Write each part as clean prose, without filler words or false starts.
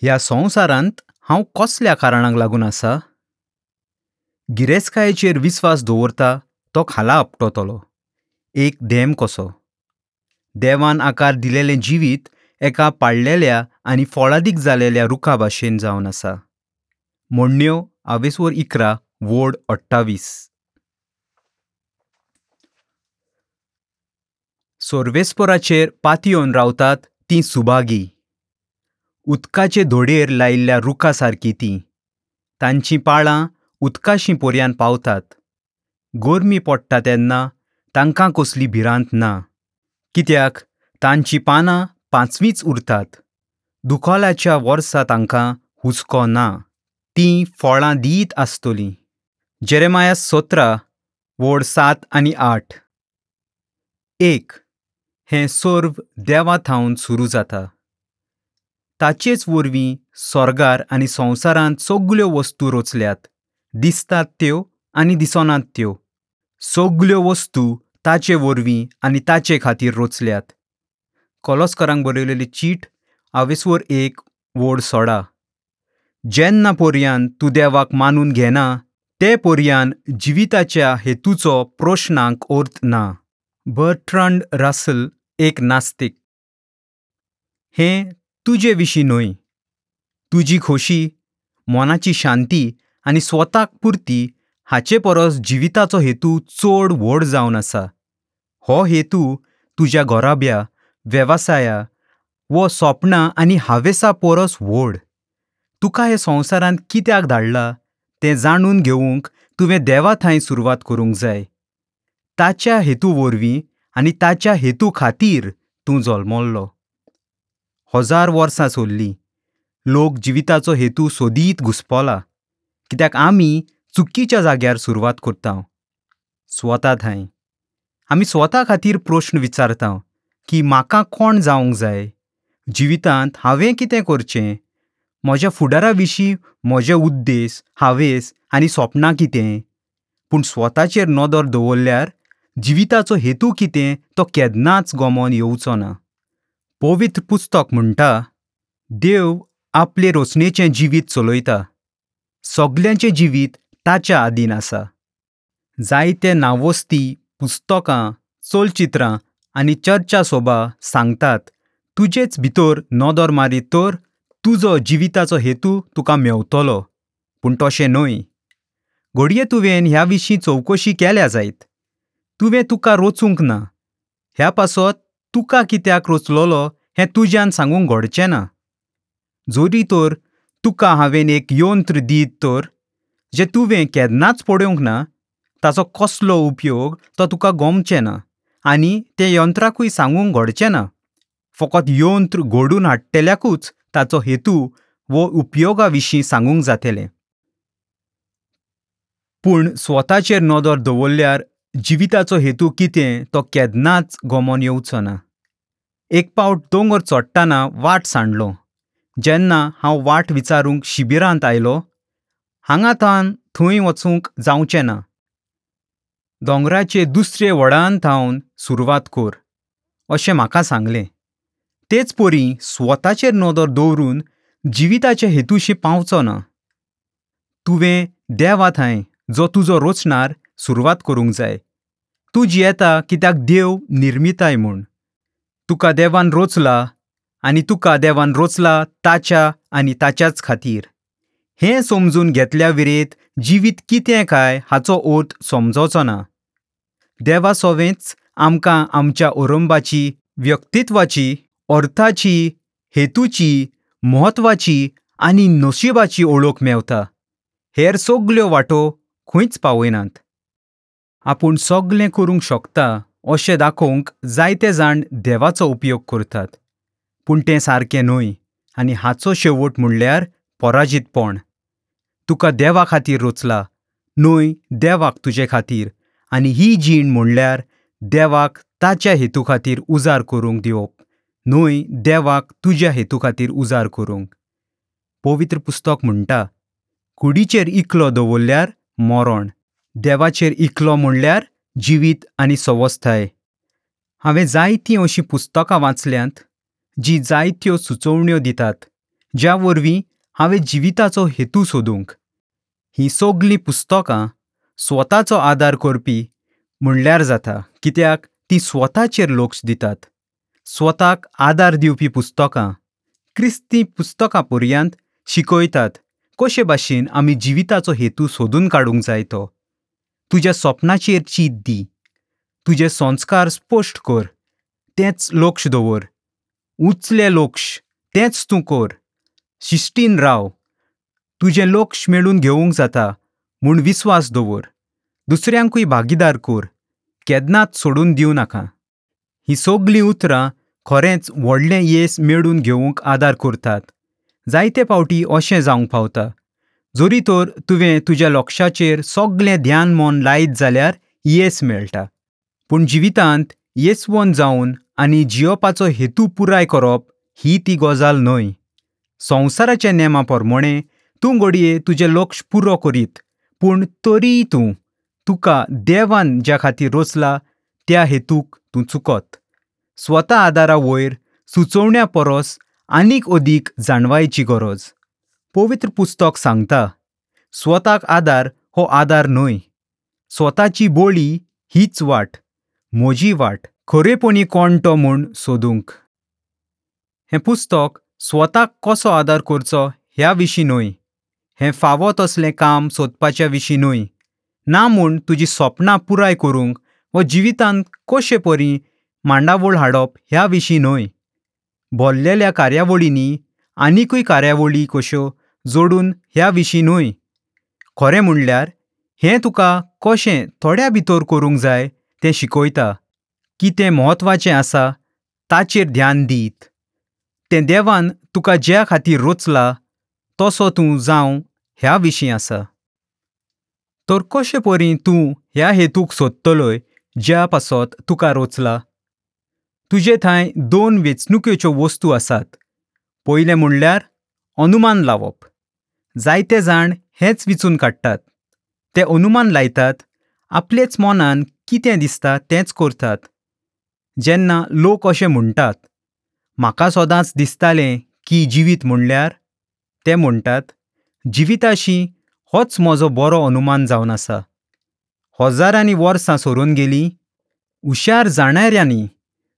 ह्या संवसारांत हांव कसल्या कारणाक लागून आसा? गिरेस्तकायेचेर विस्वास दवरता तो खाला आपटतलो, एक धेम कसो. देवान आकार दिलेलें जिवीत एका पाडलेल्या आनी फळादीक जालेल्या रुखा भाशेन जावन आसा. म्हणण्यो आवेसवर 11 वोड 28. सोर्वेस्पोराचेर पातयेवन रावतात तीं सुभागी. उदकाचे धोडेर लायिल्ल्या रुखा सारकी तीं. तांचीं पाळां उदकाशी पोरयान पावतात. गरमी पडटा तेन्ना तांकां कसली भिरांत ना, कित्याक तांचीं पानां पांचवींच उरतात. दुकळाच्या वर्सा तांकां हुस्को ना, तीं फळां दीत आसतलीं. जेरेमाया 17 वोड 7 आनी 8. 1. हें सर्व देवा थावन सुरू जाता. ताचेच वरवीं स्वर्गार आनी संवसारांत सगल्यो वस्तू रचल्यात, दिसतात त्यो आनी दिसनात त्यो. सगल्यो वस्तू ताचे वरवीं आनी ताचे खातीर रचल्यात. कोलोस्करांक बरयलेली चीट आवेसवर 1 वोड 16. जेन्ना पोरयान तूं देवाक मानून घेना ते पोरयान जिविताच्या हेतूचो प्रश्नांक अर्थ ना. बर्ट्रांड रसल एक नास्तिक. हें तुजे विशीं न्हय. तुजी खोशी, मनाची शांती आनी स्वताक पुरती हाचे परस जिविताचो हेतू चड व्हड जावन आसा. हो हेतू तुज्या घराब्या, वेवसाया वो सपनां आनी हावेसा परस व्हड. तुका हे संवसारांत कित्याक धाडला तें जाणून घेवंक तुवें देवा थंय सुरवात करूंक जाय. ताच्या हेतू वरवीं आनी ताच्या हेतू खातीर तूं जल्मल्लो. 1000 वर्सां सोडलीं लोक जिविताचो हेतू सोदीत घुसपला, कित्याक आमी चुकीच्या जाग्यार सुरवात करता. स्वता थंय आमी स्वता खातीर प्रश्न विचारता की म्हाका कोण जावंक जाय, जिवितांत हांवें कितें करचें, म्हज्या फुडारा विशीं म्हजे उद्देश, हावेस आनी सपनां कितें. पूण स्वताचेर नदर दवरल्यार जिविताचो हेतू कितें तो केन्नाच गमोन येवचो ना. पवित्र पुस्तक म्हणटा, देव आपले रचनेचें जिवीत चलयता. सगल्यांचें जिवीत ताच्या आदीन आसा. जायते नांवस्ती पुस्तकां, चलचित्रां आनी चर्चा सोबा सांगतात तुजेच भितर नदर मारीत तर तुजो जिविताचो हेतू तुका मेवतलो. पूण तशें न्हय. घडये तुवें ह्या विशीं चवकशी केल्या जायत. तुवें तुका रचूंक ना. ह्या पासत तुका कित्याक रचलोलो हें तुज्यान सांगूंक घडचें ना. जरी तर तुका हांवें एक यंत्र दीत तर जें तुवें केन्नाच पळोवंक ना, ताचो कसलो उपयोग तो तुका गमचें ना आनी तें यंत्राकूय सांगूंक घडचें ना. फकत यंत्र घडून हाडटल्याकूच ताचो हेतू वो उपयोगा विशीं सांगूंक जातलें. पूण स्वताचेर नदर दवरल्यार जिविताचो हेतू कितें तो केन्नाच गमोन येवचो ना. एक पावट दोंगर चडटना वाट सांडलो. जेन्ना हांव वाट विचारूंक शिबिरांत आयलो, हांगा थावन थंय वचूंक जावचें ना, दोंगराचे दुसरे वडान थावन सुरवात कर अशें म्हाका सांगलें. तेच परी स्वताचेर नदर दवरून जिविताचे हेतूशी पावचो ना. तुवें देवा थंय जो तुजो रचणार सुरवात करूंक जाय. तूं जियेता कित्याक देव निर्मिताय म्हूण. तुका देवान रचला आनी तुका देवान रचला ताच्या आनी ताच्याच खातीर. हें समजून घेतल्या विरेत जिवीत कितें काय हाचो अर्थ समजोचो ना. देवा सोवेंच आमकां आमच्या अरंबाची, व्यक्तित्वाची, अर्थाची, हेतूची, म्हत्वाची आनी नशिबाची ओळख मेवता. हेर सगल्यो वाटो खंयच पावयनात. आपूण सगलें करूंक शकता अशें दाखोवंक जायते जाण देवाचो उपयोग करतात, पूण तें सारकें न्हय आनी हाचो शेवट म्हणल्यार पराजीतपण. तुका देवा खातीर रचला न्हय देवाक तुजे खातीर, आनी ही जीण म्हणल्यार देवाक ताच्या हेतू खातीर उजार करूंक दिवप न्हय देवाक तुज्या हेतू खातीर उजार करूंक. पवित्र पुस्तक म्हणटा, कुडीचेर इकलो दवरल्यार मरण, देवाचेर इकलो म्हणल्यार जिवीत आनी सवस्थाय. हांवें जायतीं अशीं पुस्तकां वाचल्यांत जीं जायत्यो सुचोवण्यो दितात, ज्या वरवीं हांवें जिविताचो हेतू सोदूंक. हीं सगलीं पुस्तकां स्वताचो आदार करपी म्हणल्यार जाता, कित्याक तीं स्वताचेर लक्ष दितात. स्वताक आदार दिवपी पुस्तकां क्रिस्ती पुस्तकां पर्यंत शिकयतात कशे भाशेन आमी जिविताचो हेतू सोदून काडूंक जाय तो. तुज्या सपनाचेर चीत दी, तुजे संस्कार स्पश्ट कर, तेंच लक्ष दवर, उचलें लक्ष तेंच तूं कर, शिस्तीन राव, तुजें लक्ष मेळून घेवंक जाता म्हूण विस्वास दवर, दुसऱ्यांकूय भागीदार कर, केन्नाच सोडून दिवं नाका. हीं सगलीं उतरां खरेंच व्हडलें येस मेळून घेवंक आदार करतात. जायते फावटी अशें जावंक पावता, जरी तर तुवें तुज्या लक्षाचेर सगळें ध्यान मन लायत जाल्यार येस मेळटा. पूण जिवितांत येसवंत जावन आनी जियोपाचो हेतू पुराय करप ही ती गजाल न्हय. संवसाराच्या नेमा प्रमाणें तूं घडये तुजें लक्ष पुरो करीत, पूण तरीय तूं तुका देवान ज्या खातीर रचला त्या हेतूक तूं चुकत. स्वता आदारा वयर सुचोवण्या परस आनीक अदीक जाणवायेची गरज. पवित्र पुस्तक सांगता, स्वताक आदार हो आदार न्हय. स्वताची बोळी हीच वाट, म्हजी वाट, खरेपणी कोण तो म्हूण सोदूंक. हें पुस्तक स्वताक कसो आदार करचो ह्या विशीं न्हय, हें फावो तसलें काम सोदपाच्या विशीं न्हय, ना म्हूण तुजी सपनां पुराय करूंक वा जिवितांत कशे परी मांडावळ हाडप ह्या विशीं न्हय. भरलेल्या कार्यावळींनी आनिकूय कार्यावळी कश्यो जोडून ह्या विशीं न्हय. खरें म्हणल्यार हें तुका कशें थोड्या भितर करूंक जाय तें शिकयता. कितें म्हत्वाचें आसा ताचेर ध्यान दीत तें देवान तुका ज्या खातीर रचला तसो तूं जावं ह्या विशीं आसा. तर कशे परी तूं ह्या हेतूक सोदतलोय ज्या पासत तुका रचला? तुजे थंय दोन वेंचणुकेच्यो वस्तू आसात. पयलें म्हणल्यार अनुमान लावप. जायते जाण हेंच विचून काडटात. ते अनुमान लायतात, आपलेच मनान कितें दिसता तेंच करतात. जेन्ना लोक अशें म्हणटात, म्हाका सदांच दिसतालें की जिवीत म्हणल्यार, ते म्हणटात जिविताशी होच म्हजो बरो अनुमान जावन आसा. हजारांनी वर्सां सरून गेलीं, हुशार जाणाऱ्यांनी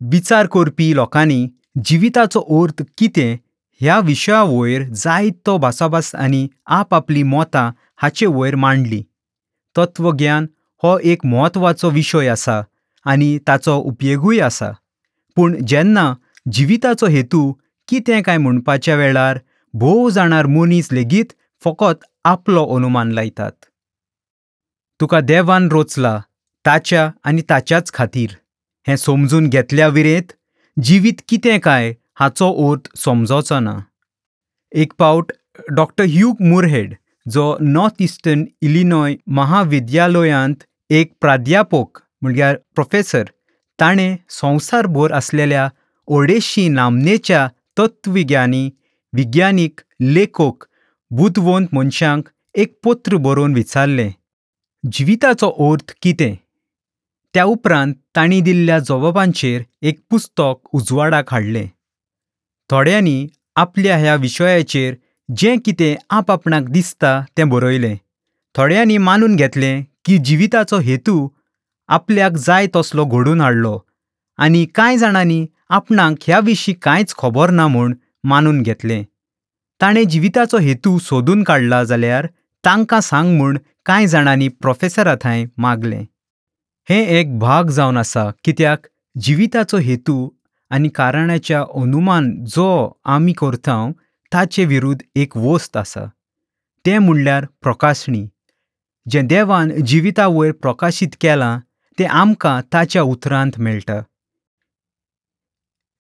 विचार करपी लोकांनी जिविताचो अर्थ कितें ह्या विशया वयर जायतो भासाभास आनी आपआपलीं मतां हाचे वयर मांडली. तत्वज्ञान हो एक म्हत्वाचो विशय आसा आनी ताचो उपयोगूय आसा. पूण जेन्ना जिविताचो हेतू कितें काय म्हणपाच्या वेळार भोव जाणार मनीस लेगीत फकत आपलो अनुमान लायतात. तुका देवान रचला ताच्या आनी ताच्याच खातीर हें समजून घेतल्या विरेत जिवीत कितें काय हाचो अर्थ समजोचो ना. एक फावट डॉक्टर ह्यूग मुरहेड, जो नॉर्थ इस्टर्न इलिनॉय महाविद्यालयांत एक प्राध्यापक म्हणल्यार प्रोफेसर, ताणें संवसारभर आसलेल्या 250 नामनेच्या तत्वज्ञानी, विज्ञानीक, लेखक, बुदवंत मनशांक एक पत्र बरोवन विचारलें, जिविताचो अर्थ कितें? त्या उपरांत तांणी दिल्ल्या जबाबांचेर एक पुस्तक उजवाडाक हाडलें. थोड्यांनी आपल्या ह्या विशयाचेर जें कितें आपआपणाक दिसता तें बरयलें. थोड्यांनी मानून घेतलें की जिविताचो हेतू आपल्याक जाय तसलो घडोवन हाडलो आनी कांय जाणांनी आपणाक ह्या विशीं कांयच खबर ना म्हूण मानून घेतलें. ताणें जिविताचो हेतू सोदून काडला जाल्यार तांकां सांग म्हूण कांय जाणांनी प्रोफेसरा थंय मागलें. हें एक भाग जावन आसा, कित्याक जिविताचो हेतू आनी कारणाच्या अनुमान जो आमी करता ताचे विरुद्ध एक वस्त आसा, तें म्हणल्यार प्रकाशणी. जें देवान जिविता वयर प्रकाशीत केलां तें आमकां ताच्या उतरांत मेळटा.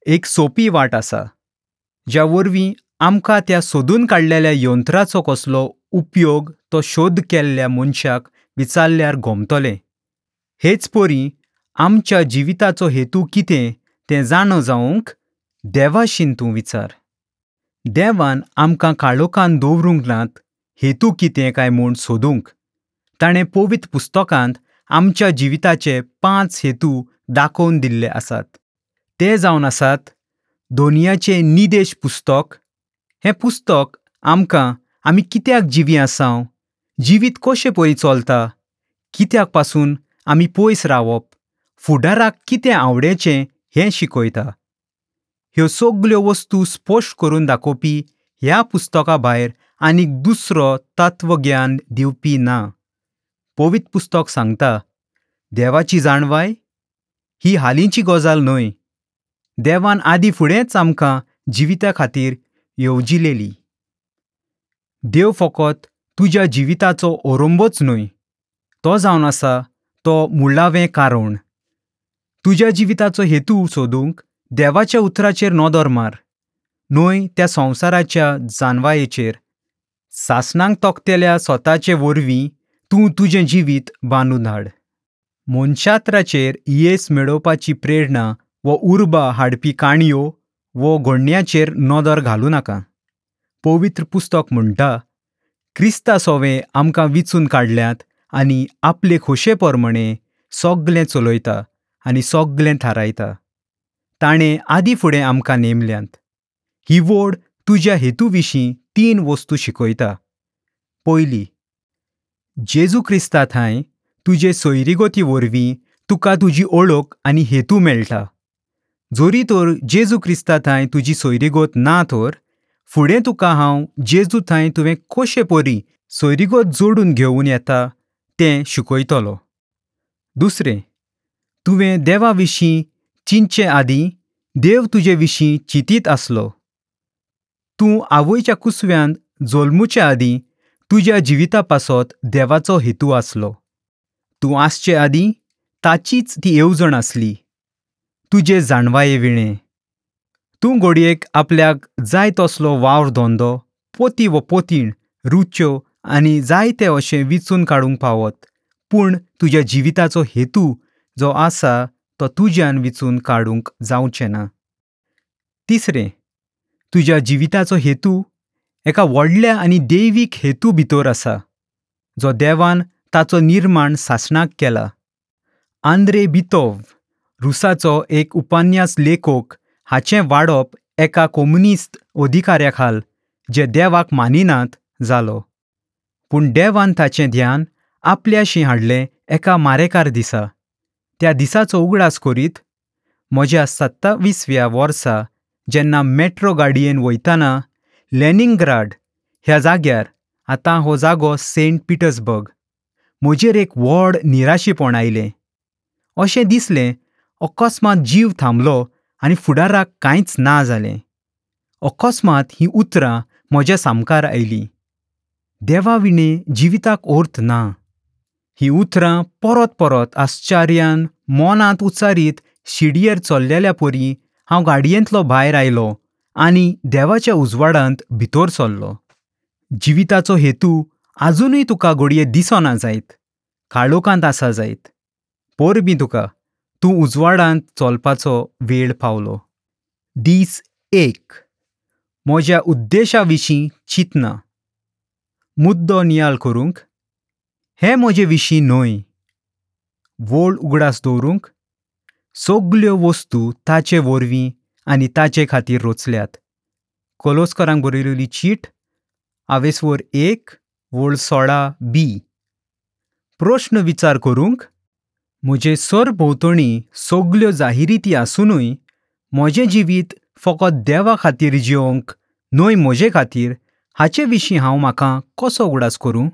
एक सोपी वाट आसा ज्या वरवीं आमकां त्या सोदून काडलेल्या यंत्राचो कसलो उपयोग तो शोध केल्ल्या मनशाक विचारल्यार गोमतलें. हेच परी आमच्या जिविताचो हेतू कितें तें जाणो जावंक देवाशीन तूं विचार. देवान आमकां काळोखान दवरूंक नात हेतू कितें काय म्हूण सोदूंक. ताणें पवित्र पुस्तकांत आमच्या जिविताचे 5 हेतू दाखोवन दिल्ले आसात. ते जावन आसात दोनयाचें निदेश पुस्तक, हें पुस्तक आमकां आमी कित्याक जिवीं आसाव, जिवीत कशें परी चलता, कित्याक पासून आमी पयस रावप, फुडाराक कितें आवडेचें हें शिकयता। ह्यो सगल्यो वस्तू स्पश्ट करून दाखोवपी ह्या पुस्तका भायर आनीक दुसरो तत्वज्ञान दिवपी ना। पवित्र पुस्तक सांगता, देवाची जाणवाय ही हालींची गजाल न्हय, देवान आदी फुडेंच आमकां जिविता खातीर येवजिलेली। देव फकत तुज्या जिविताचो ओरंबोच न्हय, तो जावन आसा तो मुळावें कारण। तुज्या जिविताचो हेतू सोदूंक देवाच्या उतराचेर नदर मार, न्हय त्या संवसाराच्या जानवायेचेर। सासणांक तोखतेल्या स्वताचे वरवीं तूं तुजें जिवीत बांदून हाड। मनशात्राचेर येस मेळोवपाची प्रेरणा वो उर्बा हाडपी काणयो वो घडण्याचेर नदर घालूं नाका। पवित्र पुस्तक म्हणटा, क्रिस्ता सोवें आमकां विचून काडल्यात आनी आपले खोशे प्रमाणे सगलें चलयता आनी सगलें थारायता। ताणें आदी फुडें आमकां नेमल्यांत। ही वोड तुज्या हेतू विशीं 3 वस्तू शिकयता। पयली, जेजू क्रिस्ता थंय तुजे सोयरीगती वरवीं तुका तुजी ओळख आनी हेतू मेळटा। जोरी तर जेजू क्रिस्ता थंय तुजी सोयरीगत ना तर फुडें तुका हांव जेजू थंय तुवें कशें परी सोयरीगत जोडून घेवन येता तें शिकयतलो। दुसरें, तुवें देवा विशीं चिंतचे आदीं देव तुजे विशीं चिंतीत आसलो। तूं आवयच्या कुसव्यांत जल्मुचे आदीं तुज्या जिविता पासत देवाचो हेतू आसलो। तूं आसचे आदीं ताचीच ती येवजण आसली, तुजे जाणवाये विणें। तूं घडयेक आपल्याक जाय तसलो वावर धंदो, पोती वो पोतीण, रुच्यो आनी जायते अशें विचून काडूंक पावत, पूण तुज्या जिविताचो हेतू जो आसा तो तुज्यान विचून काडूंक जावचें ना। तिसरें, तुज्या जिविताचो हेतू एका व्हडल्या आनी दैवीक हेतू भितर आसा, जो देवान ताचो निर्माण सासणाक केला। आंद्रे बितोव, रुसाचो एक उपन्यास लेखक, हाचें वाडप एका कम्युनिस्ट अधिकाऱ्या खाल जे देवाक मानिनात जालो, पूण देवान ताचें ध्यान आपल्याशी हाडलें एका मारेकार दिसा। त्या दिसाचो उगडास करीत म्हज्या 27व्या वर्सा जेन्ना मेट्रो गाडयेन वयतना लेनिनग्राड ह्या जाग्यार, आतां हो जागो सेंट पिटर्सबर्ग, म्हजेर एक व्हड निराशीपण आयलें। अशें दिसलें अकस्मात जीव थांबलो आनी फुडाराक कांयच ना जालें। अकस्मात हीं उतरां म्हज्या सामकार आयलीं, देवा विणें जिविताक अर्थ ना। हीं उतरां परत परत आश्चर्यान मनांत उच्चारीत शिडयेर चल्लेल्या परी हांव गाडयेंतलो भायर आयलो आनी देवाच्या उजवाडांत भितर सरलो। जिविताचो हेतू आजुनूय तुका घडये दिसना जायत, काळोखांत आसा जायत, परबीं तुका, तूं उजवाडांत चलपाचो वेळ पावलो। दीस 1, म्हज्या उद्देशा विशीं चिंतना। मुद्दो नियाळ करूंक, हें म्हजे विशीं न्हय, वोळ उगडास दवरूंक, सगल्यो वस्तू ताचे वरवीं आनी ताचे खातीर रचल्यात। कोलोस्करांक बरयलेली चीट, आवेसवर 1 वोळ 16b। प्रश्न विचार करूंक, म्हजे सरभोंवतणी सगल्यो जाहिराती आसुनूय म्हजें जिवीत फकत देवा खातीर जिवंक न्हय म्हजे खातीर, हाचे विशीं हांव म्हाका कसो उगडास करूं?